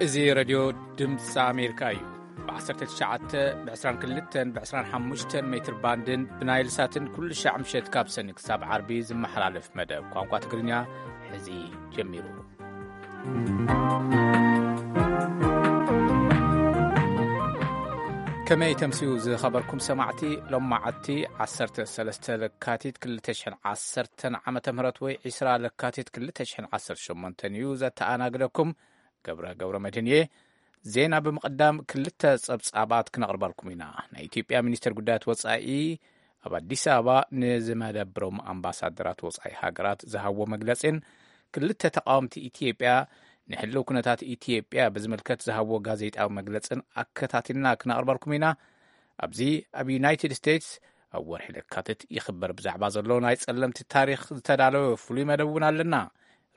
እዚ ሬድዮ ድምፂ ኣሜሪካ እዩ። ብ19፣ ብ22፣ ብ25 ሜትር ባንድን ብናይል ሳትን ኩሉ ሻዕ ምሸት ካብ ሰኒ ክሳብ ዓርቢ ዝመሓላለፍ መደብ ቋንቋ ትግርኛ ሕዚ ጀሚሩ። ከመይ ተምስዩ ዝኸበርኩም ሰማዕቲ? ሎም መዓልቲ 13 ለካቲት 2010 ዓመተ ምህረት ወይ 20 ለካቲት 2018 እዩ። ዘተኣናግደኩም ገብረ ገብረ መድህን እየ። ዜና ብምቕዳም ክልተ ጸብጻባት ክነቕርበልኩም ኢና። ናይ ኢትዮጵያ ሚኒስትር ጉዳያት ወጻኢ ኣብ ኣዲስ ኣበባ ንዝመደብሮም ኣምባሳደራት ወጻኢ ሃገራት ዝሃብዎ መግለጺን ክልተ ተቃወምቲ ኢትዮጵያ ንሕልው ኩነታት ኢትዮጵያ ብዝምልከት ዝሃብዎ ጋዜጣዊ መግለጽን ኣከታቲልና ክነቕርበልኩም ኢና። ኣብዚ ኣብ ዩናይትድ ስቴትስ ኣብ ወርሒ ለካትት ይኽበር ብዛዕባ ዘሎ ናይ ጸለምቲ ታሪኽ ዝተዳለወ ፍሉይ መደብ እውን ኣለና።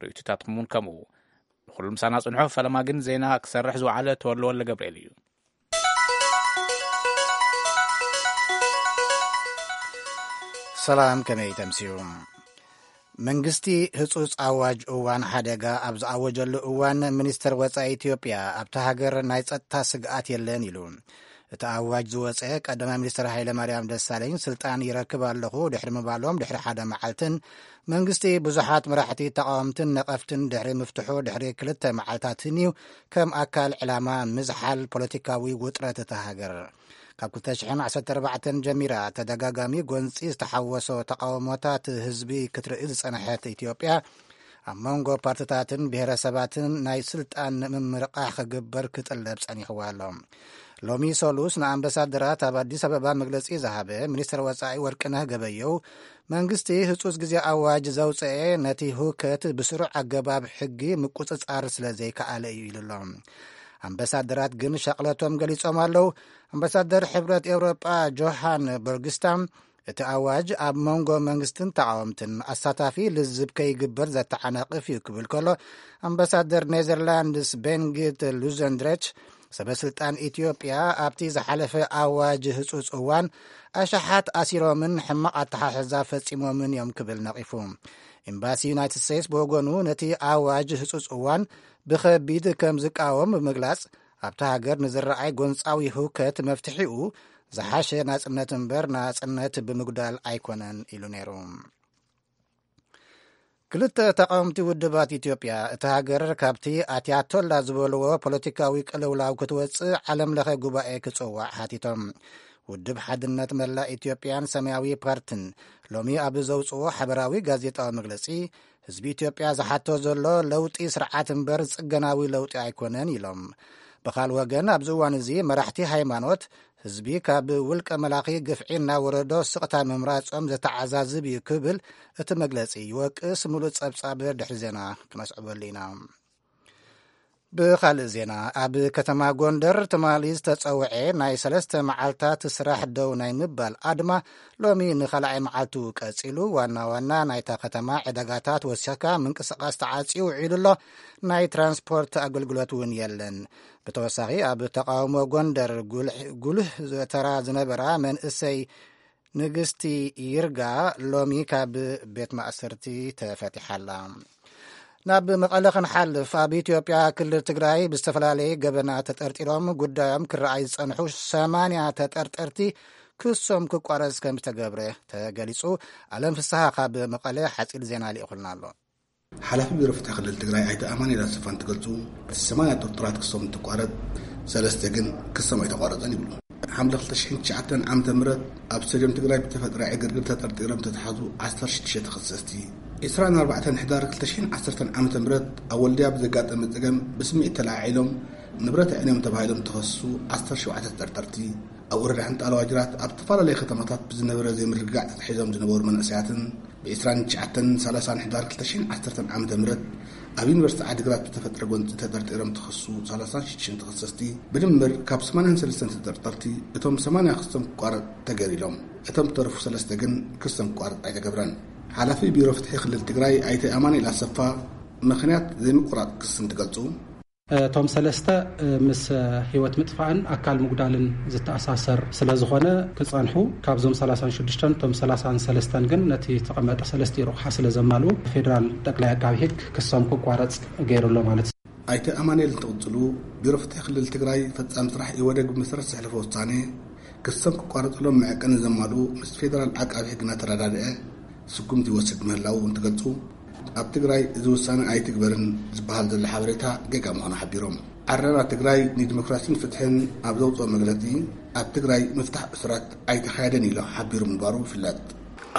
ርእይቶታትኩም እውን ከምኡ። ንኹሉ ምሳና ጽንሑ። ፈለማ ግን ዜና ክሰርሕ ዝወዓለ ተወልደ ወልደ ገብርኤል እዩ። ሰላም፣ ከመይ ተምስዩ? መንግስቲ ህጹጽ ኣዋጅ እዋን ሓደጋ ኣብ ዝኣወጀሉ እዋን፣ ሚኒስተር ወጻኢ ኢትዮጵያ ኣብታ ሃገር ናይ ጸጥታ ስግኣት የለን ኢሉ። እቲ ኣዋጅ ዝወጸ ቀዳማይ ሚኒስተር ሃይለማርያም ደሳለኝ ስልጣን ይረክብ ኣለኹ ድሕሪ ምባሎም ድሕሪ ሓደ መዓልትን መንግስቲ ብዙሓት መራሕቲ ተቃወምትን ነቐፍትን ድሕሪ ምፍትሑ ድሕሪ ክልተ መዓልታትን እዩ ከም ኣካል ዕላማ ምዝሓል ፖለቲካዊ ውጥረት እታ ሃገር። ካብ 2014 ጀሚራ ተደጋጋሚ ጎንጺ ዝተሓወሶ ተቃውሞታት ህዝቢ ክትርኢ ዝጸንሐት ኢትዮጵያ፣ ኣብ መንጎ ፓርትታትን ብሄረሰባትን ናይ ስልጣን ምምርቃሕ ክግበር ክጥለብ ጸኒሕዋ ኣሎ። ሎሚ ሰሉስ ንኣምባሳደራት ኣብ ኣዲስ ኣበባ መግለጺ ዝሃበ ሚኒስትር ወጻኢ ወርቅነህ ገበየው፣ መንግስቲ ህጹጽ ግዜ ኣዋጅ ዘውጸኤ ነቲ ህውከት ብስሩዕ ኣገባብ ሕጊ ምቁጽጻር ስለ ዘይከኣለ እዩ ኢሉ ኣሎ። ኣምባሳደራት ግን ሻቕለቶም ገሊጾም ኣለዉ። ኣምባሳደር ሕብረት ኤውሮጳ ጆሃን በርግስታ፣ እቲ ኣዋጅ ኣብ መንጎ መንግስትን ተቃወምትን ኣሳታፊ ልዝብ ከይግበር ዘተዓናቕፍ እዩ ክብል ከሎ፣ ኣምባሳደር ኔዘርላንድስ ቤንጊት ሉዘንድረች፣ ሰበ ስልጣን ኢትዮጵያ ኣብቲ ዝሓለፈ ኣዋጅ ህጹጽ እዋን ኣሽሓት ኣሲሮምን ሕማቕ ኣተሓሕዛ ፈጺሞምን እዮም ክብል ነቒፉ። ኤምባሲ ዩናይትድ ስቴትስ ብወገኑ ነቲ ኣዋጅ ህጹጽ እዋን ብኸቢድ ከም ዝቃወም ብምግላጽ፣ ኣብታ ሃገር ንዝረኣይ ጎንጻዊ ህውከት መፍትሒኡ ዝሓሸ ናጽነት እምበር ናጽነት ብምጉዳል ኣይኮነን ኢሉ ነይሩ። ክልተ ተቃወምቲ ውድባት ኢትዮጵያ፣ እታ ሃገር ካብቲ ኣትያቶላ ዝበልዎ ፖለቲካዊ ቅልውላው ክትወጽእ ዓለም ለኸ ጉባኤ ክጽዋዕ ሓቲቶም። ውድብ ሓድነት መላእ ኢትዮጵያን ሰማያዊ ፓርትን ሎሚ ኣብ ዘውጽዎ ሓበራዊ ጋዜጣዊ መግለጺ፣ ህዝቢ ኢትዮጵያ ዝሓቶ ዘሎ ለውጢ ስርዓት እምበር ጽገናዊ ለውጢ ኣይኮነን ኢሎም። ብኻል ወገን፣ ኣብዚ እዋን እዚ መራሕቲ ሃይማኖት ህዝቢ ካብ ውልቀ መላኺ ግፍዒ እናወረዶ ስቕታ ምምራጾም ዘተዓዛዝብ እዩ ክብል እቲ መግለጺ ይወቅስ። ምሉእ ጸብጻብ ድሕሪ ዜና ክነስዕበሉ ኢና። ብኻልእ ዜና፣ ኣብ ከተማ ጎንደር ትማሊ ዝተጸውዐ ናይ ሰለስተ መዓልታት ስራሕ ደው ናይ ምባል ኣድማ ሎሚ ንኻልኣይ መዓልቱ ቀጺሉ። ዋና ዋና ናይታ ከተማ ዕዳጋታት ወሲኽካ ምንቅስቓስ ተዓጽዩ ውዒሉ ኣሎ። ናይ ትራንስፖርት ኣገልግሎት እውን የለን። ብተወሳኺ ኣብ ተቃውሞ ጎንደር ጉልሕ-፣ ጉልህ ተራ ዝነበራ መንእሰይ ንግስቲ ይርጋ ሎሚ ካብ ቤት ማእሰርቲ ተፈቲሓ ኣላ። ናብ መቐለ ክንሓልፍ፣ ኣብ ኢትዮጵያ ክልል ትግራይ ብዝተፈላለየ ገበናት ተጠርጢሮም ጉዳዮም ክረኣይ ዝጸንሑ ሰማንያ ተጠርጠርቲ ክሶም ክቋረጽ ከም ዝተገብረ ተገሊጹ። ኣለም ፍስሃ ካብ መቐለ ሓጺር ዜና ልኢኹልና ኣሎ። ሓላፊ ቢሮ ፍትሒ ክልል ትግራይ ኣይተ ኣማኑኤል ኣሰፋ እንትገልጹ፣ እቲ ሰማንያ ጥርጡራት ክሶም እንትቋረጽ፣ ሰለስተ ግን ክሶም ኣይተቋረጸን ይብሉ። ሓምለ ክልተ ሽሕን ትሽዓተን ዓመተ ምህረት ኣብ ስቴድየም ትግራይ ብተፈጥረ ዕግርግር ተጠርጢሮም ዝተታሕዙ ዓሰርተ ሽዱሽተ ተኸሰስቲ፣ ዕስራን ኣርባዕተን ሕዳር ክልተ ሽሕን ዓሰርተን ዓመተ ምህረት ኣብ ወልድያ ብዘጋጠመ ጸገም ብስምዒት ተለዓዒሎም ንብረት ኣዕንዮም ተባሂሎም ዝተኸሰሱ ዓሰርተ ሸውዓተ ተጠርጠርቲ፣ ኣብ ወረዳ ሕንጣሎ ዋጅራት ኣብ ዝተፈላለዩ ከተማታት ብዝነበረ ዘይምርግጋዕ ተታሒዞም ዝነበሩ መንእሰያትን፣ ብ29ን 30ን ሕዳር 2010 ዓመተ ምህረት ኣብ ዩኒቨርሲቲ ዓዲግራት ብተፈጥረ ጎንፂ ተጠርጢሮም ተኸሱ ሰላሳን ሽዱሽተን ተኸሰስቲ ብድምር ካብ ሰማንያን ሰለስተን ተጠርጠርቲ እቶም ሰማንያ ክሶም ክቋረጥ ተገይሩ ኢሎም። እቶም ዝተረፉ ሰለስተ ግን ክሶም ክቋረጥ ኣይተገብረን። ሓላፊ ቢሮ ፍትሒ ክልል ትግራይ ኣይተ ኣማኑኤል ኣሰፋ ምኽንያት ዘይምቁራጥ ክሲ እንትገልፁ፣ እቶም ሰለስተ ምስ ህይወት ምጥፋእን ኣካል ምጉዳልን ዝተኣሳሰር ስለ ዝኾነ ክጸንሑ፣ ካብዞም ሰላሳን ሽዱሽተን እቶም ሰላሳን ሰለስተን ግን ነቲ ዝተቐመጠ ሰለስተ ረቑሓ ስለ ዘማልኡ ፌዴራል ጠቅላይ ኣቃቢ ሕግ ክሶም ክቋረጽ ገይሩ ኣሎ ማለት እዩ። ኣይተ ኣማኑኤል እንትቕጽሉ፣ ቢሮ ፍትሒ ክልል ትግራይ ፈጻሚ ስራሕ ኢህወደግ ብመሰረት ዘሕለፎ ውሳኔ ክሶም ክቋረጸሎም መዐቀኒ ዘማልኡ ምስ ፌደራል ዓቃቢ ሕጊ እናተረዳድአ ስጉምቲ ይወስድ ምህላዉ እንትገልጹ፣ ኣብ ትግራይ እዚ ውሳነ ኣይትግበርን ዝበሃል ዘሎ ሓበሬታ ጌጋ ምዃኑ ሓቢሮም። ዓረና ትግራይ ንዲሞክራሲን ፍትሕን ኣብ ዘውፅኦ መግለፂ፣ ኣብ ትግራይ ምፍታሕ እሱራት ኣይተኻየደን ኢሉ ሓቢሩ ምንባሩ ይፍለጥ።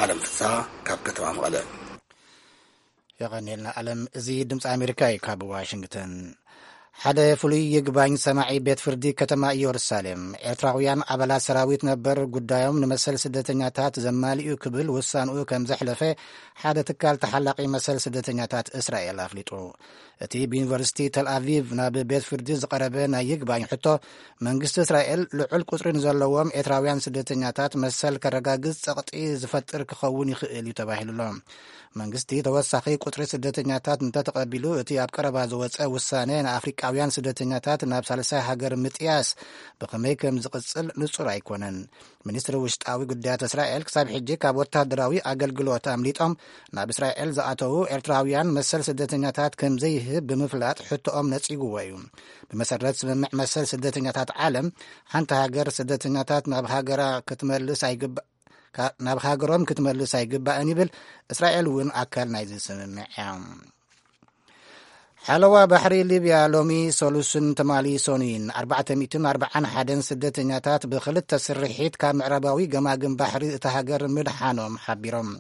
ኣለም ፍስሃ ካብ ከተማ መቐለ። የቐንየልና ኣለም። እዚ ድምፂ ኣሜሪካ እዩ ካብ ዋሽንግተን። ሓደ ፍሉይ ይግባኝ ሰማዒ ቤት ፍርዲ ከተማ ኢየሩሳሌም፣ ኤርትራውያን ኣባላት ሰራዊት ነበር ጉዳዮም ንመሰል ስደተኛታት ዘማልኡ ክብል ውሳንኡ ከም ዘሕለፈ ሓደ ትካል ተሓላቒ መሰል ስደተኛታት እስራኤል ኣፍሊጡ። እቲ ብዩኒቨርሲቲ ተል ኣቪቭ ናብ ቤት ፍርዲ ዝቐረበ ናይ ይግባኝ ሕቶ፣ መንግስቲ እስራኤል ልዑል ቁጽሪ ንዘለዎም ኤርትራውያን ስደተኛታት መሰል ከረጋግጽ ጸቕጢ ዝፈጥር ክኸውን ይኽእል እዩ ተባሂሉ ኣሎ። መንግስቲ ተወሳኺ ቁጽሪ ስደተኛታት እንተተቐቢሉ፣ እቲ ኣብ ቀረባ ዝወጸ ውሳነ ንኣፍሪቃውያን ስደተኛታት ናብ ሳልሳይ ሃገር ምጥያስ ብኸመይ ከም ዝቕጽል ንጹር ኣይኮነን። ሚኒስትሪ ውሽጣዊ ጉዳያት እስራኤል ክሳብ ሕጂ ካብ ወታደራዊ ኣገልግሎት ኣምሊጦም ናብ እስራኤል ዝኣተዉ ኤርትራውያን መሰል ስደተኛታት ከም ዘይህብ ብምፍላጥ ሕቶኦም ነጺጉዎ እዩ። ብመሰረት ስምምዕ መሰል ስደተኛታት ዓለም፣ ሓንቲ ሃገር ስደተኛታት ናብ ሃገራ ክትመልስ ኣይግባ-፣ ካ-፣ ናብ ሃገሮም ክትመልስ ኣይግባእን ይብል። እስራኤል እውን ኣካል ናይዚ ስምምዕ እያ። ሓለዋ ባሕሪ ሊብያ ሎሚ ሰሉስን ትማሊ ሰኑይን ኣርባዕተ ሚእትን ኣርባዓን ሓደን ስደተኛታት ብኽልተ ስርሒት ካብ ምዕራባዊ ገማግም ባሕሪ እታ ሃገር ምድሓኖም ሓቢሮም።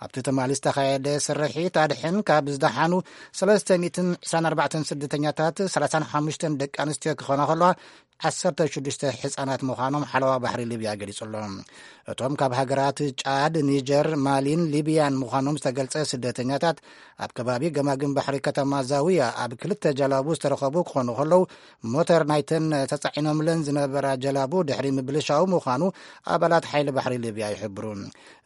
ኣብቲ ትማሊ ዝተኻየደ ስርሒት ኣድሕን ካብ ዝደሓኑ ሰለስተ ሚእትን ዕስራን ኣርባዕተን ስደተኛታት ሰላሳን ሓሙሽተን ደቂ ኣንስትዮ ክኾና ከለዋ፣ ዓሰርተ ሽዱሽተ ህጻናት ምዃኖም ሓለዋ ባሕሪ ሊብያ ገሊጹ ኣሎ። እቶም ካብ ሃገራት ጫድ፣ ኒጀር፣ ማሊን ሊብያን ምዃኖም ዝተገልጸ ስደተኛታት፣ ኣብ ከባቢ ገማግም ባሕሪ ከተማ ዛውያ ኣብ ክልተ ጀላቡ ዝተረኸቡ ክኾኑ ከለዉ፣ ሞተር ናይተን ተጻዒኖምለን ዝነበራ ጀላቡ ድሕሪ ምብልሻው ምዃኑ ኣባላት ሓይሊ ባሕሪ ሊብያ ይሕብሩ።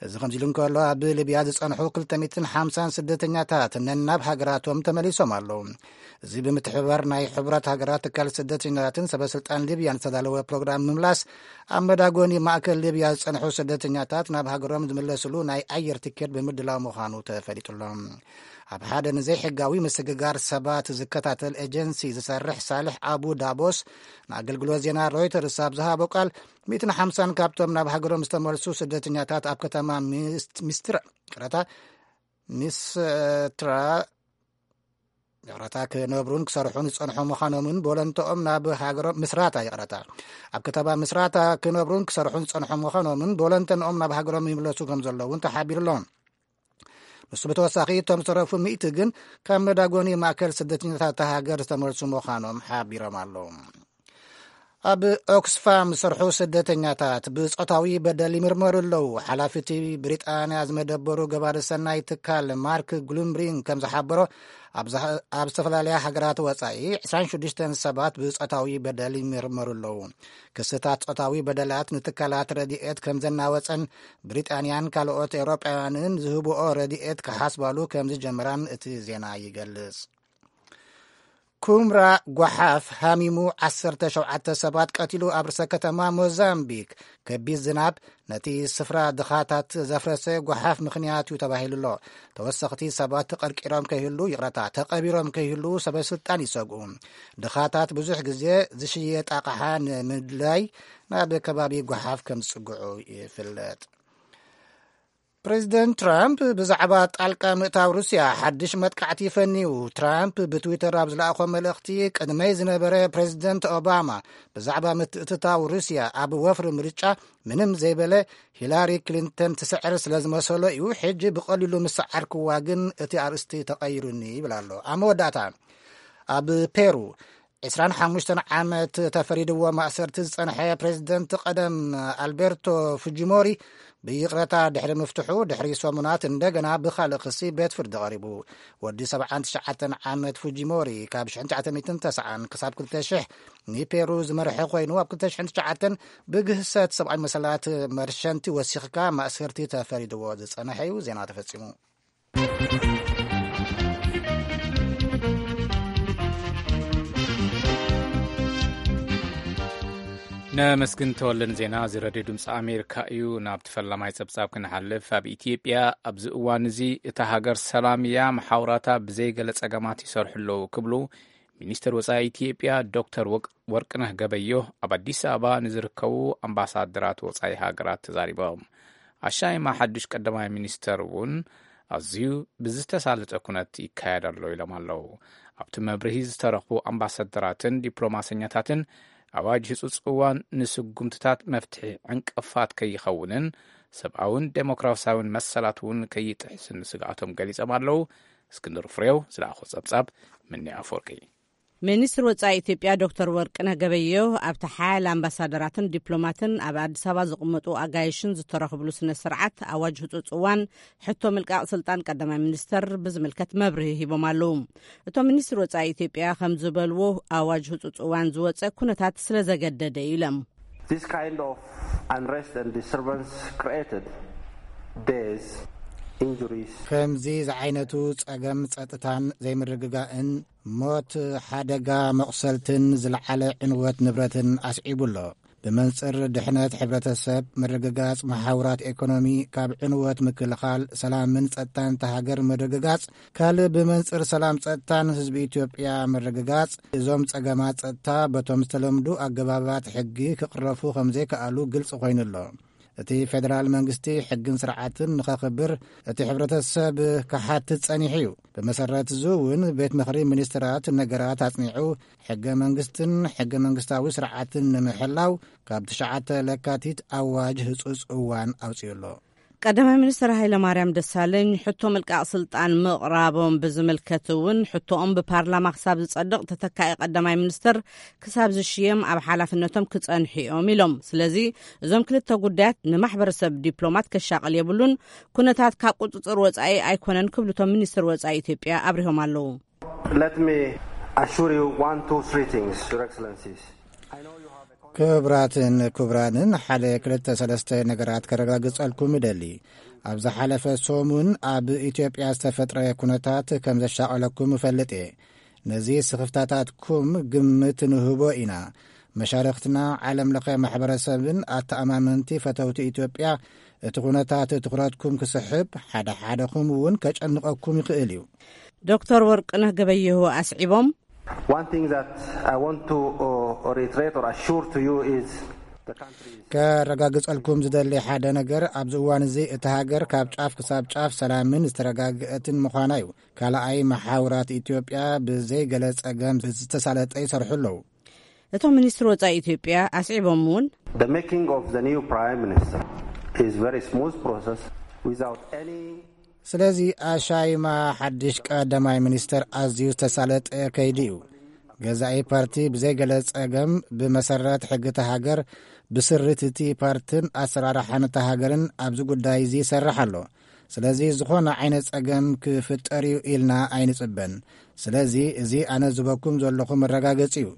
እዚ ከምዚ ኢሉ እንከሎ፣ ኣብ ሊብያ ዝጸንሑ ክልተ ሚእትን ሓምሳን ስደተኛታት ነናብ ሃገራቶም ተመሊሶም ኣለዉ። እዚ ብምትሕብባር ናይ ሕቡራት ሃገራት ትካል ስደተኛታትን ሰበ ስልጣን ሊብያን ዝተዳለወ ፕሮግራም ምምላስ፣ ኣብ መዳጎኒ ማእከል ሊብያ ዝጸንሑ ስደተኛታት ናብ ሃገሮም ዝምለስሉ ናይ ኣየር ትኬት ብምድላው ምዃኑ ተፈሊጡ ኣሎ። ኣብ ሓደ ንዘይሕጋዊ ምስግጋር ሰባት ዝከታተል ኤጀንሲ ዝሰርሕ ሳልሕ ኣቡ ዳቦስ ንኣገልግሎት ዜና ሮይተርስ ኣብ ዝሃቦ ቃል፣ ሚእትን ሓምሳን ካብቶም ናብ ሃገሮም ዝተመልሱ ስደተኛታት ኣብ ከተማ ሚስ-፣ ሚስትራ፣ ይቕረታ፣ ሚስትራ፣ ይቕረታ፣ ክነብሩን ክሰርሑን ዝጸንሑ ምዃኖምን ቦለንተኦም ናብ ሃገሮም፣ ምስራታ፣ ይቕረታ፣ ኣብ ከተማ ምስራታ ክነብሩን ክሰርሑን ዝጸንሑ ምዃኖምን ቦለንተንኦም ናብ ሃገሮም ይምለሱ ከም ዘለውን ተሓቢሩ ኣሎ። ንሱ ብተወሳኺ፣ እቶም ዝተረፉ ሚእቲ ግን ካብ መዳጎኒ ማእከል ስደተኛታት እታ ሃገር ዝተመልሱ ምዃኖም ሓቢሮም ኣለዉ። ኣብ ኦክስፋም ዝሰርሑ ስደተኛታት ብጾታዊ በደል ይምርመሩ ኣለዉ። ሓላፊ እቲ ብሪጣንያ ዝመደበሩ ገባሪ ሰናይ ትካል ማርክ ግሉምብሪንግ ከም ዝሓበሮ፣ ኣብ ዝሃ-፣ ኣብ ዝተፈላለያ ሃገራት ወጻኢ ዕስራን ሽዱሽተን ሰባት ብጾታዊ በደል ይምርመሩ ኣለዉ። ክስታት ጾታዊ በደላት ንትካላት ረድኤት ከም ዘናወጸን፣ ብሪጣንያን ካልኦት ኤውሮጳውያንን ዝህብኦ ረድኤት ክሓስባሉ ከም ዝጀመራን እቲ ዜና ይገልጽ። ኩምራ ጓሓፍ ሃሚሙ ዓሰርተ ሸውዓተ ሰባት ቀቲሉ። ኣብ ርእሰ ከተማ ሞዛምቢክ ከቢድ ዝናብ ነቲ ስፍራ ድኻታት ዘፍረሰ ጓሓፍ ምኽንያት እዩ ተባሂሉ ኣሎ። ተወሰኽቲ ሰባት ተቐርቂሮም ከይህሉ፣ ይቕረታ፣ ተቐቢሮም ከይህሉ ሰበ ስልጣን ይሰግኡ። ድኻታት ብዙሕ ግዜ ዝሽየጥ ኣቕሓ ንምድላይ ናብ ከባቢ ጓሓፍ ከም ዝጽግዑ ይፍለጥ። ፕሬዚደንት ትራምፕ ብዛዕባ ጣልቃ ምእታው ሩስያ ሓድሽ መጥቃዕቲ ፈንዩ። ትራምፕ ብትዊተር ኣብ ዝለኣኾ መልእኽቲ፣ ቅድመይ ዝነበረ ፕሬዚደንት ኦባማ ብዛዕባ ምትእትታው ሩስያ ኣብ ወፍሪ ምርጫ ምንም ዘይበለ፣ ሂላሪ ክሊንተን ትስዕር ስለ ዝመሰሎ እዩ ሕጂ ብቐሊሉ ምስዓርክዋ፣ ግን እቲ ኣርእስቲ ተቐይሩኒ ይብል ኣሎ። ኣብ መወዳእታ፣ ኣብ ፔሩ ዕስራን ሓሙሽተን ዓመት ተፈሪድዎ ማእሰርቲ ዝጸንሐ ፕሬዚደንት ቀደም ኣልቤርቶ ፉጂሞሪ ብይቕረታ ድሕሪ ምፍትሑ፣ ድሕሪ ሰሙናት እንደገና ብኻልእ ክሲ ቤት ፍርዲ ቀሪቡ። ወዲ ሰብዓን ትሽዓተን ዓመት ፉጂሞሪ፣ ካብ ሽሕን ትሽዓተ ሚእትን ተስዓን ክሳብ ክልተ ሽሕ ንፔሩ ዝመርሐ ኮይኑ፣ ኣብ ክልተ ሽሕን ትሽዓተን ብግህሰት ሰብኣዊ መሰላት መርሸንቲ ወሲኽካ ማእሰርቲ ተፈሪድዎ ዝጸንሐ እዩ። ዜና ተፈጺሙ። ነመስግን ተወልደ ንዜና። እዚ ረድዮ ድምፂ ኣሜሪካ እዩ። ናብቲ ፈላማይ ፀብፃብ ክንሓልፍ፣ ኣብ ኢትዮጵያ ኣብዚ እዋን እዚ እታ ሃገር ሰላም እያ፣ መሓውራታ ብዘይገለ ፀገማት ይሰርሑ ኣለዉ ክብሉ ሚኒስትር ወጻኢ ኢትዮጵያ ዶክተር ወቅ-፣ ወርቅነህ ገበዮ ኣብ ኣዲስ ኣበባ ንዝርከቡ ኣምባሳደራት ወጻኢ ሃገራት ተዛሪቦም። ኣሻይማ ሓዱሽ ቀዳማይ ሚኒስተር እውን ኣዝዩ ብዝተሳለጠ ኩነት ይካየድ ኣሎ ኢሎም ኣለዉ። ኣብቲ መብርሂ ዝተረኽቡ ኣምባሳደራትን ዲፕሎማሰኛታትን ኣዋጅ ህጹጽ እዋን ንስጉምትታት መፍትሒ ዕንቅፋት ከይኸውንን ሰብኣውን ዴሞክራሲያውን መሰላት እውን ከይጥሕስን ስግኣቶም ገሊጾም ኣለዉ። እስክንድር ፍሬው ዝለኣኾ ጸብጻብ ምኒ ኣፈወርቂ። ሚኒስትር ወጻኢ ኢትዮጵያ ዶክተር ወርቅነህ ገበየሁ ኣብቲ ሓያለ ኣምባሳደራትን ዲፕሎማትን ኣብ ኣዲስ ኣበባ ዝቕመጡ ኣጋይሽን ዝተረኽብሉ ስነ ስርዓት ኣዋጅ ህጹጽ እዋን ሕቶ ምልቃቕ ስልጣን ቀዳማይ ሚኒስተር ብዝምልከት መብርሂ ሂቦም ኣለዉ። እቶም ሚኒስትር ወጻኢ ኢትዮጵያ ከም ዝበልዎ ኣዋጅ ህጹጽ እዋን ዝወጸ ኩነታት ስለ ዘገደደ እዩ ኢሎም። This kind of unrest and disturbance created death, injuries. ከምዚ ዝዓይነቱ ጸገም ጸጥታን ዘይምርግጋእን ሞት፣ ሓደጋ መቑሰልትን ዝለዓለ ዕንወት ንብረትን ኣስዒቡ ኣሎ። ብመንጽር ድሕነት ሕብረተሰብ፣ ምርግጋጽ መሓውራት ኤኮኖሚ፣ ካብ ዕንወት ምክልኻል፣ ሰላምን ጸጥታን እታ ሃገር ምርግጋጽ፣ ካልእ ብመንጽር ሰላም ጸጥታን ህዝቢ ኢትዮጵያ ምርግጋጽ፣ እዞም ጸገማት ጸጥታ በቶም ዝተለምዱ ኣገባባት ሕጊ ክቕረፉ ከም ዘይከኣሉ ግልጺ ኮይኑ ኣሎ። እቲ ፌደራል መንግስቲ ሕግን ስርዓትን ንኸኽብር እቲ ሕብረተሰብ ክሓትት ጸኒሑ እዩ። ብመሰረት እዚ እውን ቤት ምኽሪ ሚኒስትራት ነገራት ኣጽኒዑ ሕገ መንግስትን ሕገ መንግስታዊ ስርዓትን ንምሕላው ካብ ትሽዓተ ለካቲት ኣዋጅ ህጹጽ እዋን ኣውጺኡ ኣሎ። ቀዳማይ ሚኒስትር ሃይለ ማርያም ደሳለኝ ሕቶ ምልቃቕ ስልጣን ምቕራቦም ብዝምልከት እውን ሕቶኦም ብፓርላማ ክሳብ ዝጸድቕ ተተካኢ ቀዳማይ ሚኒስትር ክሳብ ዝሽየም ኣብ ሓላፍነቶም ክጸንሑ እዮም ኢሎም። ስለዚ እዞም ክልተ ጉዳያት ንማሕበረሰብ ዲፕሎማት ከሻቕል የብሉን፣ ኩነታት ካብ ቁጽጽር ወጻኢ ኣይኮነን ክብሉ እቶም ሚኒስትር ወጻኢ ኢትዮጵያ ኣብሪሆም ኣለዉ። Let me assure you one, two, three things, Your Excellencies. I know you have a con- ክቡራትን ክቡራንን ሓደ ክልተ ሰለስተ ነገራት ከረጋግጸልኩም እደሊ። ኣብ ዝሓለፈ ሰሙን ኣብ ኢትዮጵያ ዝተፈጥረ ኩነታት ከም ዘሻቐለኩም እፈልጥ እየ። ነዚ ስኽፍታታትኩም ግምት ንህቦ ኢና። መሻርኽትና ዓለም ለኸ ማሕበረሰብን ኣተኣማመንቲ ፈተውቲ ኢትዮጵያ እቲ ኩነታት ትኹረትኩም ክስሕብ፣ ሓደ ሓደኹም እውን ከጨንቐኩም ይኽእል እዩ። ዶክተር ወርቅነህ ገበየሁ ኣስዒቦም። One thing that I want to, uh, reiterate or assure to you is the country is ከረጋግጸልኩም ዝደሊ ሓደ ነገር ኣብዚ እዋን እዚ እቲ ሃገር ካብ ጫፍ ክሳብ ጫፍ ሰላምን ዝተረጋግአትን ምዃና እዩ። ካልኣይ መሓውራት ኢትዮጵያ ብዘይ ገለ ጸገም ዝተሳለጠ ይሰርሑ ኣለዉ። እቶም ሚኒስትር ወጻኢ ኢትዮጵያ ኣስዒቦም እውን The making of the new prime minister is very smooth process without any ስለዚ ኣሻይማ ሓድሽ ቀዳማይ ሚኒስተር ኣዝዩ ዝተሳለጠ ከይዲ እዩ። ገዛኢ ፓርቲ ብዘይገለ ጸገም ብመሰረት ሕጊ እታ ሃገር ብስርት እቲ ፓርትን ኣሰራርሓን እታ ሃገርን ኣብዚ ጉዳይ እዚ ይሰርሕ ኣሎ። ስለዚ ዝኾነ ዓይነት ጸገም ክፍጠር እዩ ኢልና ኣይንጽበን። ስለዚ እዚ ኣነ ዝህበኩም ዘለኹ መረጋገጺ እዩ።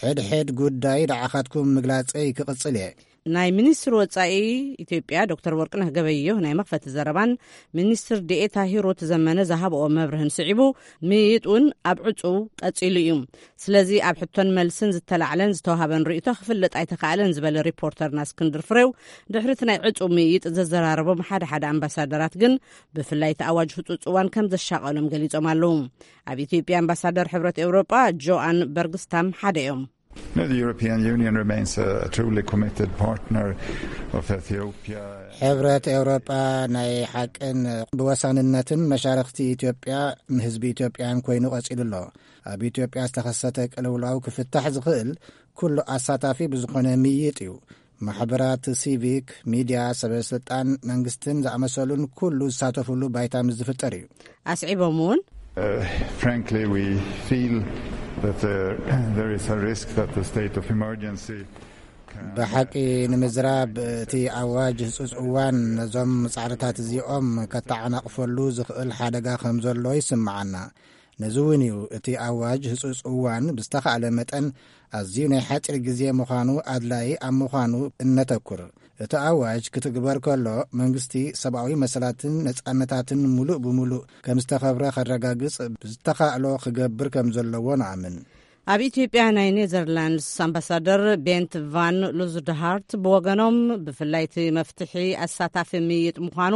ሕድሕድ ጉዳይ ንዓኻትኩም ምግላጸይ ክቕጽል እየ። ናይ ሚኒስትር ወጻኢ ኢትዮጵያ ዶክተር ወርቅነህ ገበየሁ ናይ መኽፈቲ ዘረባን ሚኒስትር ዴኤታ ሂሩት ዘመነ ዝሃብኦ መብርህን ስዒቡ ምይይጥ እውን ኣብ ዕጹው ቀጺሉ እዩ። ስለዚ ኣብ ሕቶን መልስን ዝተላዕለን ዝተዋሃበን ርእይቶ ክፍለጥ ኣይተኻእለን ዝበለ ሪፖርተርና እስክንድር ፍሬው፣ ድሕሪ እቲ ናይ ዕጹው ምይይጥ ዘዘራረቦም ሓደ ሓደ ኣምባሳደራት ግን ብፍላይ እቲ ኣዋጅ ህጹጽ እዋን ከም ዘሻቐሎም ገሊጾም ኣለዉ። ኣብ ኢትዮጵያ ኣምባሳደር ሕብረት ኤውሮጳ ጆኣን በርግስታም ሓደ እዮም። No, the European Union remains a, a truly committed partner of Ethiopia. ሕብረት ኤውሮጳ ናይ ሓቅን ብወሳንነትን መሻርኽቲ ኢትዮጵያ ንህዝቢ ኢትዮጵያን ኮይኑ ቀጺሉ ኣሎ። ኣብ ኢትዮጵያ ዝተኸሰተ ቅልውላው ክፍታሕ ዝኽእል ኩሉ ኣሳታፊ ብዝኾነ ምይይጥ እዩ። ማሕበራት ሲቪክ፣ ሚድያ፣ ሰበ ስልጣን መንግስትን ዝኣመሰሉን ኩሉ ዝሳተፉሉ ባይታ ምስ ዝፍጠር እዩ። ኣስዒቦም እውን Uh, frankly, we feel that there, there is a risk that the state of emergency can ብሓቂ ንምዝራብ እቲ ኣዋጅ ህጹጽ እዋን ነዞም ጻዕርታት እዚኦም ከተዓናቕፈሉ ዝኽእል ሓደጋ ከም ዘሎ ይስምዓና። ነዚ እውን እዩ እቲ ኣዋጅ ህጹጽ እዋን ብዝተኻእለ መጠን ኣዝዩ ናይ ሓጺር ግዜ ምዃኑ ኣድላዪ ኣብ ምዃኑ እነተኩር። እቲ ኣዋጅ ክትግበር ከሎ መንግስቲ ሰብኣዊ መሰላትን ነጻነታትን ምሉእ ብምሉእ ከም ዝተኸብረ ከረጋግጽ ብዝተኻእሎ ክገብር ከም ዘለዎ ንኣምን። ኣብ ኢትዮጵያ ናይ ኔዘርላንድስ ኣምባሳደር ቤንት ቫን ሉዝድሃርት ብወገኖም፣ ብፍላይ እቲ መፍትሒ ኣሳታፊ ምይይጥ ምዃኑ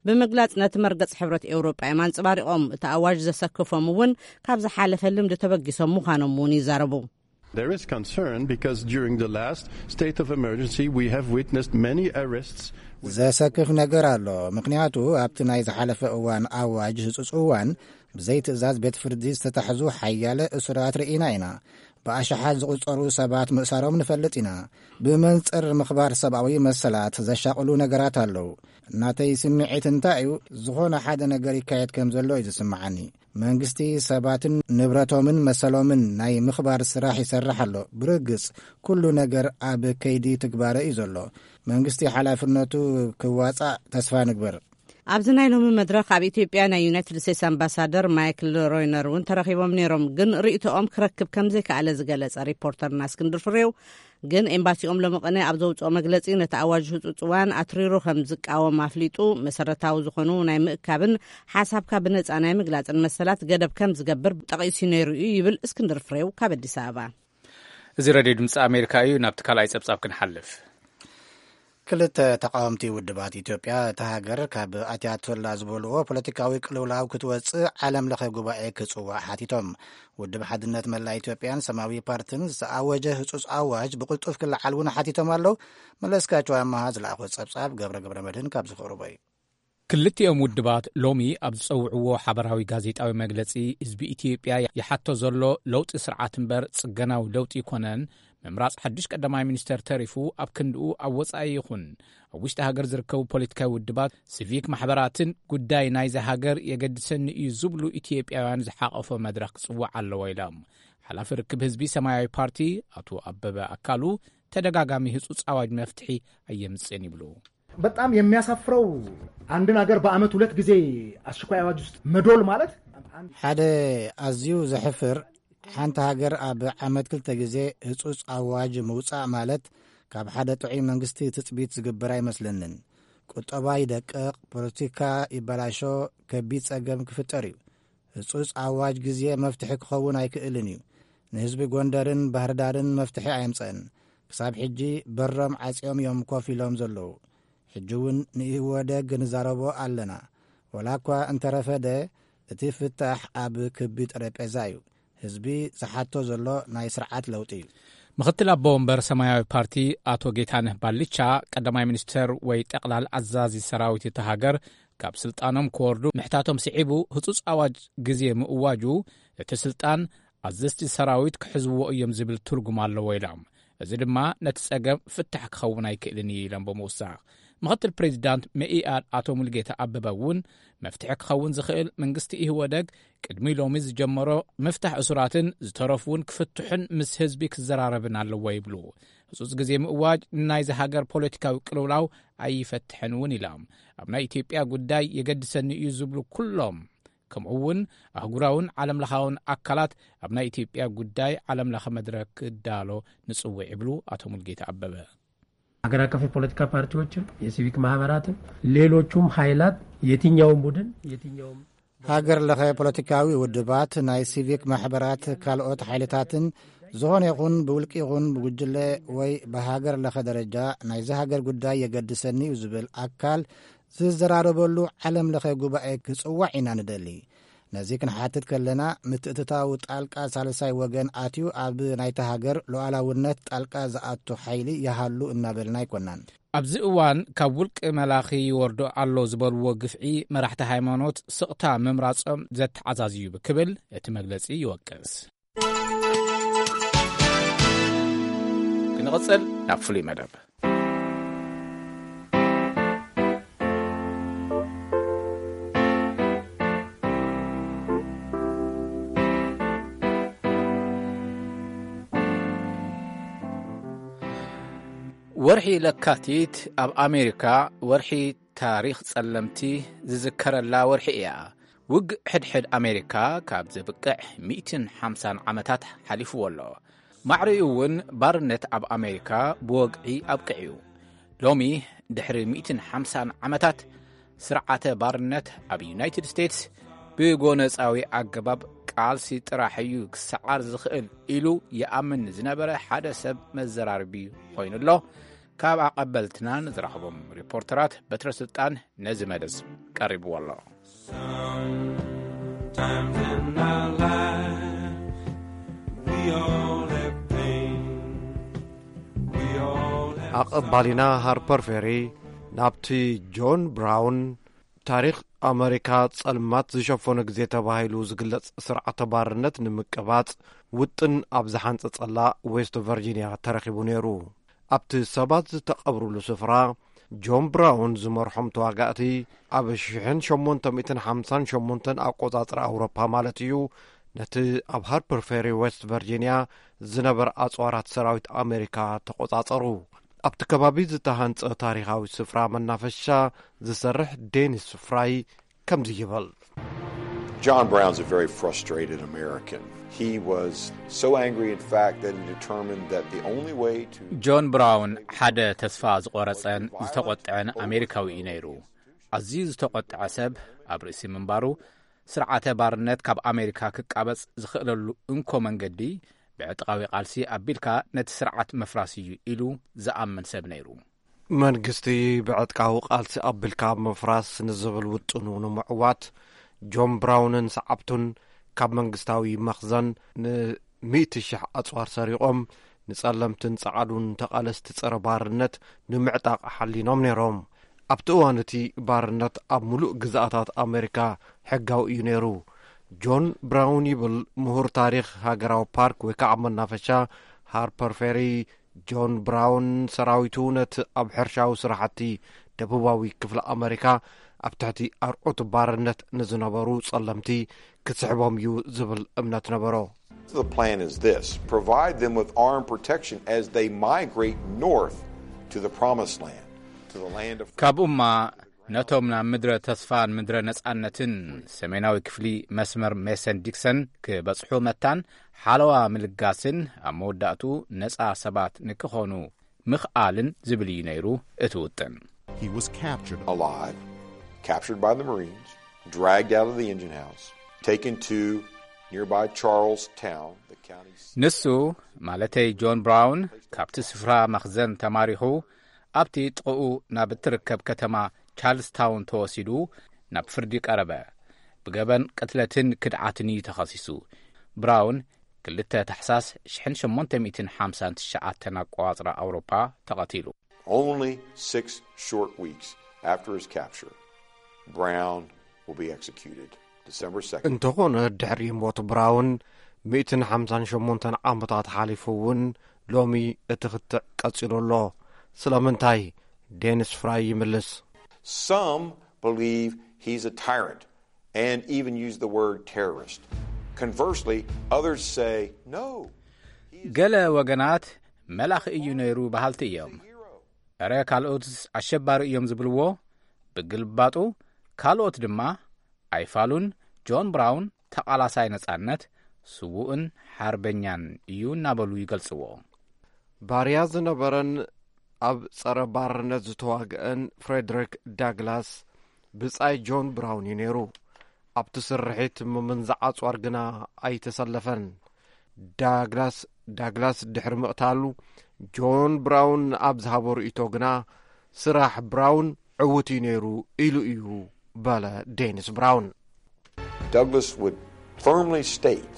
ብምግላጽ፣ ነቲ መርገጽ ሕብረት ኤውሮጳ እዮም ኣንጸባሪቖም። እቲ ኣዋጅ ዘሰክፎም እውን ካብ ዝሓለፈ ልምዲ ተበጊሶም ምዃኖም እውን ይዛረቡ። There is concern because during the last state of emergency we have witnessed many arrests. ዘሰክፍ ነገር ኣሎ። ምኽንያቱ ኣብቲ ናይ ዝሓለፈ እዋን ኣዋጅ ህጹጽ እዋን ብዘይ ትእዛዝ ቤት ፍርዲ ዝተታሕዙ ሓያለ እሱራት ርኢና ኢና። ብኣሽሓት ዝቑጸሩ ሰባት ምእሳሮም ንፈልጥ ኢና። ብመንጽር ምኽባር ሰብኣዊ መሰላት ዘሻቕሉ ነገራት ኣለዉ። እናተይ ስምዒት እንታይ እዩ? ዝኾነ ሓደ ነገር ይካየድ ከም ዘሎ እዩ ዝስምዓኒ። መንግስቲ ሰባትን ንብረቶምን መሰሎምን ናይ ምኽባር ስራሕ ይሰርሕ ኣሎ። ብርግጽ ኩሉ ነገር ኣብ ከይዲ ትግባረ እዩ ዘሎ። መንግስቲ ሓላፍነቱ ክዋጻእ ተስፋ ንግበር። ኣብዚ ናይ ሎሚ መድረኽ ኣብ ኢትዮጵያ ናይ ዩናይትድ ስቴትስ ኣምባሳደር ማይክል ሮይነር እውን ተረኺቦም ነይሮም፣ ግን ርእይቶኦም ክረክብ ከም ዘይከኣለ ዝገለጸ ሪፖርተርና እስክንድር ፍሬው፣ ግን ኤምባሲኦም ሎሚ ቅነ ኣብ ዘውፅኦ መግለፂ፣ ነቲ ኣዋጅ ህፁፅ እዋን ኣትሪሩ ከም ዝቃወም ኣፍሊጡ፣ መሰረታዊ ዝኾኑ ናይ ምእካብን ሓሳብካ ብነፃ ናይ ምግላፅን መሰላት ገደብ ከም ዝገብር ጠቒሱ ነይሩ እዩ ይብል እስክንድር ፍሬው ካብ ኣዲስ ኣበባ። እዚ ሬድዮ ድምፂ ኣሜሪካ እዩ። ናብቲ ካልኣይ ፀብፃብ ክንሓልፍ። ክልተ ተቃወምቲ ውድባት ኢትዮጵያ፣ እታ ሃገር ካብ ኣትያቶላ ዝበልዎ ፖለቲካዊ ቅልውላው ክትወፅእ ዓለም ለኸ ጉባኤ ክፅዋዕ ሓቲቶም። ውድብ ሓድነት መላእ ኢትዮጵያን ሰማያዊ ፓርትን ዝተኣወጀ ህፁፅ ኣዋጅ ብቕልጡፍ ክለዓል እውን ሓቲቶም ኣለዉ። መለስካቸው ኣመሃ ዝለኣኾ ፀብፃብ ገብረ ገብረ መድህን ካብ ዝኸርቦ እዩ። ክልቲኦም ውድባት ሎሚ ኣብ ዝጸውዕዎ ሓበራዊ ጋዜጣዊ መግለጺ፣ ህዝቢ ኢትዮጵያ ይሓቶ ዘሎ ለውጢ ስርዓት እምበር ጽገናዊ ለውጢ ኣይኮነን፣ ምምራጽ ሓድሽ ቀዳማይ ሚኒስተር ተሪፉ ኣብ ክንድኡ ኣብ ወጻኢ ይኹን ኣብ ውሽጢ ሃገር ዝርከቡ ፖለቲካዊ ውድባት፣ ሲቪክ ማሕበራትን ጉዳይ ናይዚ ሃገር የገድሰኒ እዩ ዝብሉ ኢትዮጵያውያን ዝሓቐፎ መድረኽ ክጽዋዕ ኣለዎ ኢሎም። ሓላፊ ርክብ ህዝቢ ሰማያዊ ፓርቲ ኣቶ ኣበበ ኣካሉ፣ ተደጋጋሚ ህጹጽ ኣዋጅ መፍትሒ ኣየምጽእን ይብሉ። በጣም የሚያሳፍረው አንድን ሀገር በአመት ሁለት ጊዜ አስቸኳይ አዋጅ ውስጥ መዶል ማለት ሓደ ኣዝዩ ዘሕፍር፣ ሓንቲ ሃገር ኣብ ዓመት ክልተ ግዜ ህጹጽ ኣዋጅ ምውጻእ ማለት ካብ ሓደ ጥዑይ መንግስቲ ትጽቢት ዝግበር ኣይመስለንን። ቁጠባ ይደቅቕ፣ ፖለቲካ ይበላሾ፣ ከቢድ ጸገም ክፍጠር እዩ። ህጹጽ ኣዋጅ ግዜ መፍትሒ ክኸውን ኣይክእልን እዩ። ንህዝቢ ጎንደርን ባህርዳርን መፍትሒ ኣየምጸእን። ክሳብ ሕጂ በሮም ዓጽዮም እዮም ኮፍ ኢሎም ዘለዉ። ሕጂ እውን ንኢህወደግ ንዛረቦ ኣለና። ወላ እኳ እንተረፈደ፣ እቲ ፍታሕ ኣብ ክቢ ጠረጴዛ እዩ። ህዝቢ ዝሓቶ ዘሎ ናይ ስርዓት ለውጢ እዩ። ምኽትል ኣቦ ወንበር ሰማያዊ ፓርቲ ኣቶ ጌታነህ ባልቻ፣ ቀዳማይ ሚኒስተር ወይ ጠቕላል ኣዛዚ ሰራዊት እቲ ሃገር ካብ ስልጣኖም ክወርዱ ምሕታቶም ስዒቡ፣ ህጹጽ ኣዋጅ ግዜ ምእዋጁ፣ እቲ ስልጣን ኣዘዝቲ ሰራዊት ክሕዝዎ እዮም ዝብል ትርጉም ኣለዎ ኢሎም። እዚ ድማ ነቲ ጸገም ፍታሕ ክኸውን ኣይክእልን እዩ ኢሎም ብምውሳኽ፣ ምኽትል ፕሬዚዳንት መኢኣድ ኣቶ ሙልጌታ ኣበበ እውን፣ መፍትሒ ክኸውን ዝኽእል መንግስቲ ኢህወደግ ቅድሚ ሎሚ ዝጀመሮ ምፍታሕ እሱራትን ዝተረፉ እውን ክፍትሑን ምስ ህዝቢ ክዘራረብን ኣለዎ ይብሉ። ህጹጽ ግዜ ምእዋጅ ናይዚ ሃገር ፖለቲካዊ ቅልውላው ኣይፈትሕን እውን ኢሎም። ኣብ ናይ ኢትዮጵያ ጉዳይ የገድሰኒ እዩ ዝብሉ ኩሎም፣ ከምኡ እውን ኣህጉራውን ዓለምለኻውን ኣካላት ኣብ ናይ ኢትዮጵያ ጉዳይ ዓለምለኸ መድረክ ክዳሎ ንጽውዕ ይብሉ ኣቶ ሙልጌታ ኣበበ። ሀገር አቀፍ የፖለቲካ ፓርቲዎችም፣ የሲቪክ ማህበራትም፣ ሌሎቹም ኃይላት፣ የትኛውም ቡድን፣ የትኛውም ሃገር ለኸ ፖለቲካዊ ውድባት፣ ናይ ሲቪክ ማሕበራት፣ ካልኦት ሓይልታትን፣ ዝኾነ ይኹን ብውልቂ ይኹን ብጉጅለ ወይ ብሃገር ለኸ ደረጃ ናይዚ ሃገር ጉዳይ የገድሰኒ እዩ ዝብል ኣካል ዝዘራረበሉ ዓለም ለኸ ጉባኤ ክጽዋዕ ኢና ንደሊ። ነዚ ክንሓትት ከለና፣ ምትእትታው ጣልቃ ሳልሳይ ወገን ኣትዩ ኣብ ናይታ ሃገር ሉዓላውነት ጣልቃ ዝኣቱ ሓይሊ ይሃሉ እናበልና ኣይኮናን። ኣብዚ እዋን ካብ ውልቂ መላኺ ይወርዶ ኣሎ ዝበልዎ ግፍዒ መራሕቲ ሃይማኖት ስቕታ ምምራጾም ዘተዓዛዝዩ ክብል እቲ መግለጺ ይወቅስ። ክንቕጽል ናብ ፍሉይ መደብ። ወርሒ ለካቲት ኣብ ኣሜሪካ ወርሒ ታሪኽ ጸለምቲ ዝዝከረላ ወርሒ እያ። ውግእ ሕድሕድ ኣሜሪካ ካብ ዘብቅዕ ሚእትን ሓምሳን ዓመታት ሓሊፍዎ ኣሎ። ማዕሪኡ እውን ባርነት ኣብ ኣሜሪካ ብወግዒ ኣብቂዑ እዩ። ሎሚ ድሕሪ ሚእትን ሓምሳን ዓመታት ስርዓተ ባርነት ኣብ ዩናይትድ ስቴትስ ብጎነጻዊ ኣገባብ ቃልሲ ጥራሕ እዩ ክሰዓር ዝኽእል ኢሉ ይኣምን ዝነበረ ሓደ ሰብ መዘራርቢ ኮይኑ ኣሎ። ካብ ኣቐበልትና ንዝረኽቦም ሪፖርተራት በትረ ስልጣን ነዚ መደብ ቀሪብዎ ኣሎ። Sometimes in our life, we all have pain. We all have ኣቐባሊና ሃርፐር ፌሪ ናብቲ ጆን ብራውን ታሪኽ ኣመሪካ ጸልማት ዝሸፈኖ ግዜ ተባሂሉ ዝግለጽ ስርዓተ ባርነት ንምቅባጽ ውጥን ኣብ ዝሓንጸጸላ ዌስት ቨርጂንያ ተረኺቡ ነይሩ። ኣብቲ ሰባት ዝተቐብሩሉ ስፍራ ጆን ብራውን ዝመርሖም ተዋጋእቲ ኣብ ሽሕን ሸሞንተ ሚእትን ሓምሳን ሸሞንተን ኣቆጻጽራ ኣውሮፓ ማለት እዩ፣ ነቲ ኣብ ሃርፐር ፌሪ ዌስት ቨርጂንያ ዝነበረ ኣጽዋራት ሰራዊት ኣሜሪካ ተቆጻጸሩ። ኣብቲ ከባቢ ዝተሃንጸ ታሪኻዊ ስፍራ መናፈሻ ዝሰርሕ ዴኒስ ፍራይ ከምዚ ይብል። John Brown's a very frustrated American. He was so angry, in fact, that he determined that the only way to ጆን ብራውን ሓደ ተስፋ ዝቆረጸን ዝተቆጥዐን ኣሜሪካዊ እዩ ነይሩ። ኣዝዩ ዝተቆጥዐ ሰብ ኣብ ርእሲ ምንባሩ፣ ስርዓተ ባርነት ካብ ኣሜሪካ ክቃበጽ ዝኽእለሉ እንኮ መንገዲ ብዕጥቃዊ ቃልሲ ኣቢልካ ነቲ ስርዓት ምፍራስ እዩ ኢሉ ዝኣምን ሰብ ነይሩ። መንግስቲ ብዕጥቃዊ ቃልሲ ኣቢልካ ምፍራስ ንዝብል ውጥኑ ንምዕዋት፣ ጆን ብራውንን ሰዓብቱን ካብ መንግስታዊ መኽዘን ንሚእቲ ሽሕ ኣጽዋር ሰሪቖም፣ ንጸለምትን ጸዓዱን ተቓለስቲ ጸረ ባርነት ንምዕጣቕ ሓሊኖም ነይሮም። ኣብቲ እዋን እቲ ባርነት ኣብ ምሉእ ግዝኣታት ኣሜሪካ ሕጋዊ እዩ ነይሩ። ጆን ብራውን ይብል ምሁር ታሪኽ ሃገራዊ ፓርክ ወይ ከዓ መናፈሻ ሃርፐር ፌሪ፣ ጆን ብራውን ሰራዊቱ ነቲ ኣብ ሕርሻዊ ስራሕቲ ደቡባዊ ክፍሊ ኣመሪካ ኣብ ትሕቲ ኣርዑት ባርነት ንዝነበሩ ጸለምቲ ክስሕቦም እዩ ዝብል እምነት ነበሮ። The plan is this: provide them with armed protection as they migrate north to the promised land, to the land of ካብኡማ ነቶም ናብ ምድረ ተስፋን ምድረ ነጻነትን ሰሜናዊ ክፍሊ መስመር ሜሰን ዲክሰን ክበጽሑ መታን ሓለዋ ምልጋስን ኣብ መወዳእቱ ነጻ ሰባት ንክኾኑ ምኽኣልን ዝብል እዩ ነይሩ እቲ ውጥን። He was captured. Alive, captured by the Marines, dragged out of the engine house, taken to nearby Charlestown, the county seat. ንሱ ማለተይ ጆን ብራውን ካብቲ ስፍራ መኽዘን ተማሪኹ ኣብቲ ጥቕኡ ናብ እትርከብ ከተማ ቻርልስታውን ተወሲዱ ናብ ፍርዲ ቀረበ። ብገበን ቅትለትን ክድዓትን እዩ ተኸሲሱ። ብራውን ክልተ ታሕሳስ ሽሕን ሸሞንተ ሚእትን ሓምሳን ትሽዓተን ኣቆጻጽራ ኣውሮፓ ተቐቲሉ። Only six short weeks after his capture, Brown will be executed December second. እንተኾነ ድሕሪ ሞት ብራውን ሚእትን ሓምሳን ሸሞንተን ዓመታት ሓሊፉ እውን ሎሚ እቲ ክትዕ ቀጺሉ ኣሎ። ስለምንታይ? ዴኒስ ፍራይ ይምልስ። Some believe he's a tyrant and even use the word terrorist. Conversely, others say, no. ገለ ወገናት መላኺ እዩ ነይሩ በሃልቲ እዮም። እረ ካልኦትስ ኣሸባሪ እዮም ዝብልዎ። ብግልባጡ ካልኦት ድማ ኣይፋሉን፣ ጆን ብራውን ተቓላሳይ ነጻነት፣ ስዉእን ሓርበኛን እዩ እናበሉ ይገልጽዎ። ባርያ ዝነበረን ኣብ ጸረ ባርነት ዝተዋግአን ፍሬድሪክ ዳግላስ ብጻይ ጆን ብራውን እዩ ነይሩ። ኣብቲ ስርሒት ምምንዛዕ ኣጽዋር ግና ኣይተሰለፈን። ዳግላስ ዳግላስ ድሕሪ ምቕታሉ፣ ጆን ብራውን ኣብ ዝሃቦ ርእይቶ ግና፣ ስራሕ ብራውን ዕዉት እዩ ነይሩ ኢሉ እዩ በለ ዴኒስ ብራውን። Douglas would firmly state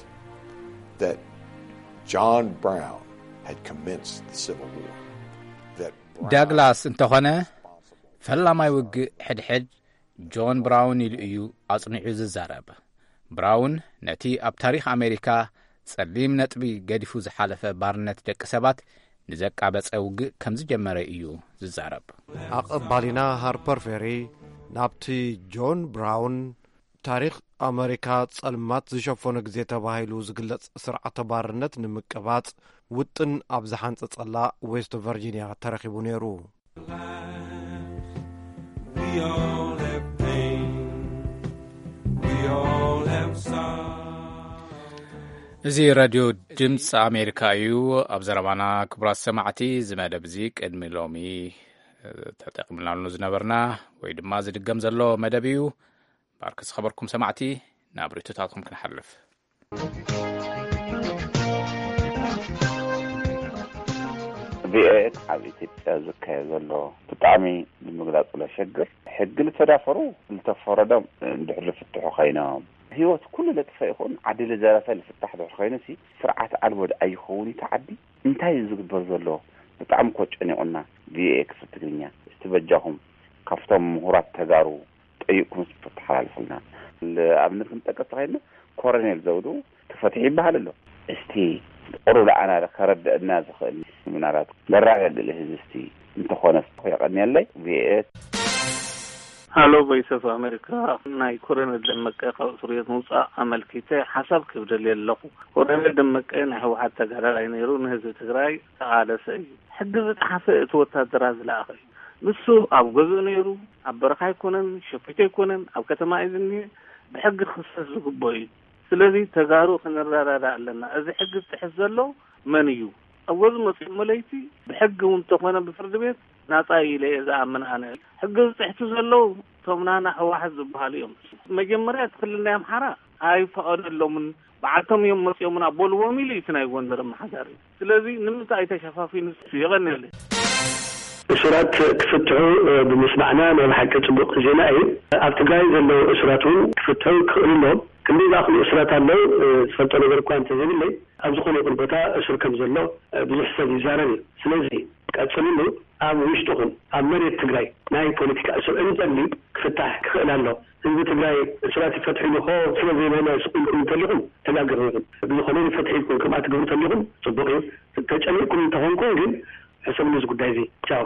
that John Brown had commenced the Civil War. That Brown ዳግላስ እንተኾነ፣ ፈላማይ ውግእ ሕድሕድ ጆን ብራውን ኢሉ እዩ ኣጽኒዑ ዝዛረብ። ብራውን ነቲ ኣብ ታሪኽ ኣሜሪካ ጸሊም ነጥቢ ገዲፉ ዝሓለፈ ባርነት ደቂ ሰባት ንዘቃበጸ ውግእ ከም ዝጀመረ እዩ ዝዛረብ። ኣቐባሊና ሃርፐር ፌሪ ናብቲ ጆን ብራውን ታሪኽ ኣመሪካ ጸልማት ዝሸፈኖ ግዜ ተባሂሉ ዝግለጽ ስርዓተ ባርነት ንምቅባጽ ውጥን ኣብ ዝሓንጸጸላ ዌስት ቨርጂንያ ተረኺቡ ነይሩ። We all have pain. We all have sorrow. እዚ ሬድዮ ድምፂ ኣሜሪካ እዩ። ኣብ ዘረባና ክቡራት ሰማዕቲ፣ እዚ መደብ እዚ ቅድሚ ሎሚ፣ እ፣ ተጠቂምናሉ ዝነበርና ወይ ድማ ዝድገም ዘሎ መደብ እዩ። ባርክ ዝኸበርኩም ሰማዕቲ፣ ናብ ርእይቶታትኩም ክንሓልፍ። ቪኦኤ ኣብ ኢትዮጵያ ዝካየድ ዘሎ ብጣዕሚ ንምግላፅ ለሸግር ሕጊ ልተዳፈሩ ልተፈረዶም እንድሕር ልፍትሑ ኮይኖም ህይወት ኩሉ ለጥፈ ይኹን ዓዲ ልዘረፈ ልፍታሕ ድሕር ኮይኑ ሲ ስርዓት ኣልቦ ድኣ ይኸውን እቲ ዓዲ እንታይ እዩ ዝግበር ዘሎ? ብጣዕሚ እኮ ጨኒቑና። ቪኦኤ ክፍል ትግርኛ እስቲ በጃኹም ካብቶም ምሁራት ተጋሩ ጠይቅኩም ተተሓላልፉልና። ኣብነት ክንጠቅስ ተኸይልና ኮረኔል ዘውዱ ተፈትሒ ይበሃል ኣሎ። እስቲ ቁሩብ ለኣና ከረድአና ዝኽእል ምናልባት መረጋገሊ ህዝቢ እስቲ እንተኾነ የቐንየለይ። ቪኤት ሃሎ ቮይስ ኦፍ ኣሜሪካ። ናይ ኮረኔል ደመቀ ካብ እስር ቤት ምውፃእ ኣመልኪተ ሓሳብ ክብደል ኣለኹ። ኮረኔል ደመቀ ናይ ህወሓት ተጋዳላይ ነይሩ፣ ንህዝቢ ትግራይ ተቓለሰ እዩ። ሕጊ ዝጠሓሰ እቲ ወታደራት ዝለኣኸ እዩ። ንሱ ኣብ ገዝኡ ነይሩ፣ ኣብ በረኻ ኣይኮነን፣ ሸፊቱ ኣይኮነን፣ ኣብ ከተማ እዩ ዝኒሀ። ብሕጊ ክኽሰስ ዝግብኦ እዩ። ስለዚ ተጋሩ ክንረዳዳ ኣለና። እዚ ሕጊ ዝጥሕስ ዘሎ መን እዩ? ኣብ ገዝኡ መፂኡ መለይቲ ብሕጊ እውን እንተኾነ ብፍርዲ ቤት ናፃ እዩ ኢለ እየ ዝኣምን ኣነ። ሕጊ ዝጥሕሱ ዘለዉ እቶም ናና ህወሓት ዝበሃሉ እዮም። መጀመርያ እቲ ክልል ናይ ኣምሓራ ኣይፈቐደሎምን፣ በዓልቶም እዮም መፂኦምና በልዎም ኢሉ እዩ እቲ ናይ ጎንደር ኣመሓዳሪ። ስለዚ ንምንታይ ተሸፋፊኑ? የቐንየለይ። እሱራት ክፍትሑ ብምስማዕና ናይ ብሓቂ ፅቡቅ ዜና እዩ። ኣብ ትግራይ ዘለዉ እሱራት እውን ክፍትሑ ክኽእሉ ኣለዎም። ክንደይ ዝኣኽሉ እሱራት ኣለዉ ዝፈልጦ ነገር እኳ እንተዘይብለይ ኣብ ዝኾነ ይኹን ቦታ እሱር ከም ዘሎ ብዙሕ ሰብ ይዛረብ እዩ። ስለዚ ቀፅልሉ። ኣብ ውሽጥኹም ኣብ መሬት ትግራይ ናይ ፖለቲካ እሱር እንተልዩ ክፍታሕ ክኽእል ኣሎ። ህዝቢ ትግራይ እሱራት ይፈትሑ ኢሉ ኮ ስለ ዘይበለ ስቕ ኢልኩም እንተሊኹም ተጋግኹም ኢኹም። ብዝኾነ ፍትሒ ኢልኩም ከምኣ ትገብሩ ተሊኹም ፅቡቕ እዩ። ተጨኒቕኩም እንተኾንኩም ግን ሕሰብሉ እዚ ጉዳይ እዚ። ቻው።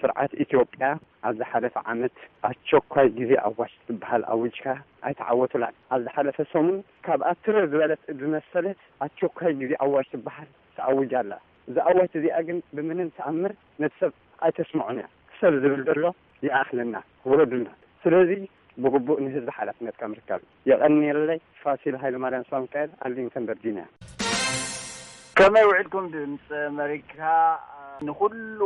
ስርዓት ኢትዮጵያ ኣብ ዝሓለፈ ዓመት ኣቸኳይ ግዜ ኣዋጅ ትበሃል ኣዊጅካ ኣይተዓወቱላን። ኣብ ዝሓለፈ ሰሙን ካብኣ ትርር ዝበለት ዝመሰለት ኣቸኳይ ግዜ ኣዋጅ ትበሃል ተኣዊጃ ኣላ። እዛ ኣዋጅ እዚኣ ግን ብምንም ተኣምር ነቲ ሰብ ኣይተስምዖን እያ። ክሰብ ዝብል ዘሎ ይኣኽለና፣ ውረዱልና። ስለዚ ብግቡእ ንህዝቢ ሓላፍነትካ ምርካብ እዩ። የቐንየለይ። ፋሲል ሃይለማርያም ሳምካኤል፣ ኣርሊንግተን ቨርጂንያ። ከመይ ውዒልኩም ድምፂ ኣመሪካ? ንኹሉ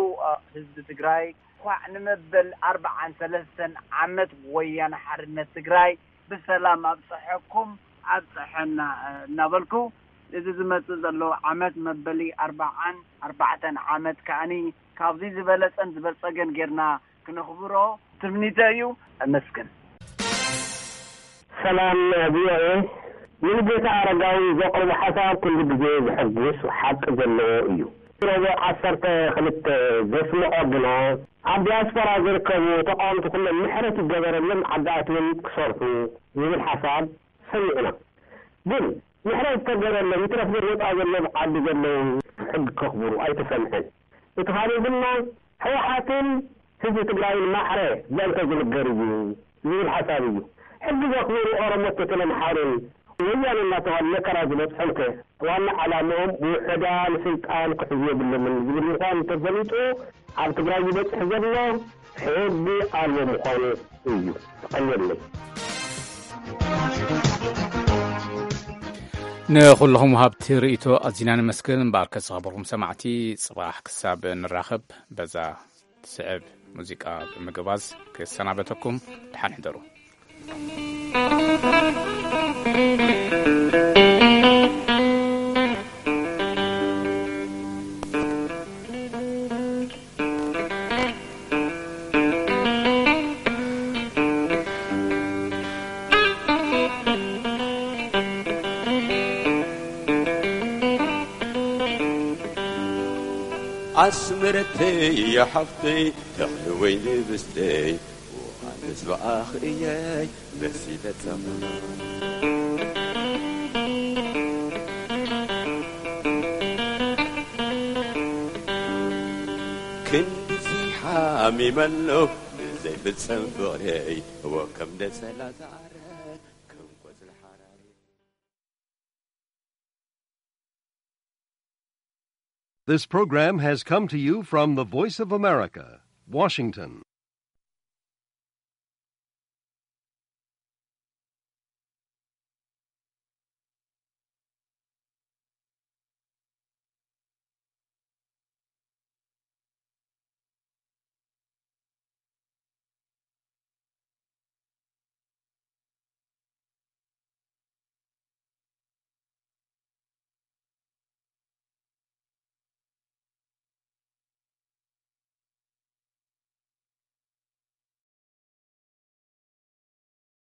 ህዝቢ ትግራይ እንኳዕ ንመበል ኣርብዓን ሰለስተን ዓመት ወያነ ሓርነት ትግራይ ብሰላም ኣብፀሐኩም ኣብፀሐና እናበልኩ፣ እዚ ዝመፅእ ዘሎ ዓመት መበሊ ኣርብዓን ኣርባዕተን ዓመት ከኣኒ ካብዚ ዝበለፀን ዝበልፀገን ጌርና ክነኽብሮ ትምኒተይ እዩ። ኣመስግን። ሰላም ቪኦኤ። ሙሉጌታ ኣረጋዊ ዘቕርቦ ሓሳብ ኩሉ ግዜ ዘሐጉስ ሓቂ ዘለዎ እዩ። ረቡዕ ዓሰርተ ክልተ ዘስምዖ ግና ኣብ ዲያስፖራ ዝርከቡ ተቓወምቲ ኩሎም ምሕረት ይገበረሎም ዓዲ ኣትዮም ክሰርሑ ዝብል ሓሳብ ሰሚዕና። ግን ምሕረት ዝተገበረሎም ይትረፍ ግን ወፃኢ ዘለዉ ዓዲ ዘለዉ ሕጊ ከኽብሩ ኣይተሰምዐን። እቲ ካልእ ድማ ህወሓትን ህዝቢ ትግራይን ማዕረ ዘንተ ዝንገር እዩ ዝብል ሓሳብ እዩ። ሕጊ ዘኽብሩ ኦሮሞን ተተን ኣምሓሩን ወያነ እናተባህሉ መከራ ዝበፅሖም ከ ዋና ዓላምኦም ውሑዳን ስልጣን ክሕዙ የብሎምን ዝብል ምዃኑ ተፈሊጡ ኣብ ትግራይ ዝበፅሕ ዘሎ ሕጊ ኣልቦ ምዃኑ እዩ። ተቐየለይ። ንኹልኹም ወሃብቲ ርእይቶ ኣዚና ነመስግን። እምበኣርከ ዝኸበርኩም ሰማዕቲ፣ ጽባሕ ክሳብ ንራኸብ በዛ ትስዕብ ሙዚቃ ብምግባዝ ክሰናበተኩም። ደሓን ሕደሩ። ኣስመረተይ ሓፍተይ ተኽሊ ወይኒ ብስተይ ዮሃንስ ብኣኽ እየይ መሲለ ጸምና ክንድዚ ሓሚመ ኣለኹ ብዘይፍጸም ፍቕረይ ወከም ነጸላ ዝዓረ ከም ቆጽሊ ሓራሪ። This program has come to you from the Voice of America, Washington.